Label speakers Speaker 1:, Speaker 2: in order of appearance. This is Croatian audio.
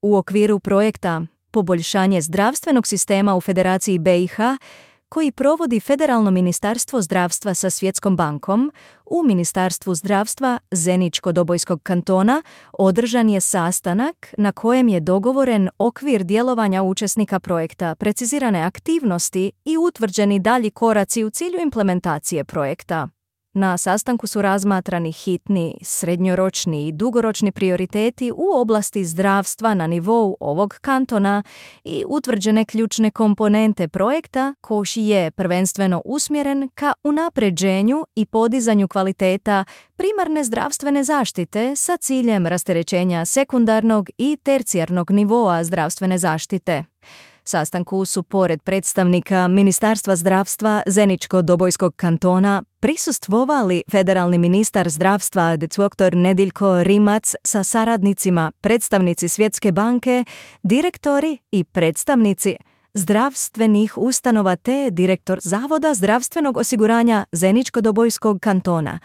Speaker 1: u okviru projekta Poboljšanje zdravstvenog sistema u Federaciji BiH, koji provodi Federalno ministarstvo zdravstva sa Svjetskom bankom, u Ministarstvu zdravstva Zeničko-Dobojskog kantona održan je sastanak na kojem je dogovoren okvir djelovanja učesnika projekta, precizirane aktivnosti i utvrđeni dalji koraci u cilju implementacije projekta. Na sastanku su razmatrani hitni, srednjoročni i dugoročni prioriteti u oblasti zdravstva na nivou ovog kantona i utvrđene ključne komponente projekta koji je prvenstveno usmjeren ka unapređenju i podizanju kvaliteta primarne zdravstvene zaštite sa ciljem rasterećenja sekundarnog i tercijarnog nivoa zdravstvene zaštite. Sastanku su pored predstavnika Ministarstva zdravstva Zeničko-Dobojskog kantona prisustvovali federalni ministar zdravstva dr. Nediljko Rimac sa saradnicima, predstavnici Svjetske banke, direktori i predstavnici zdravstvenih ustanova te direktor Zavoda zdravstvenog osiguranja Zeničko-Dobojskog kantona.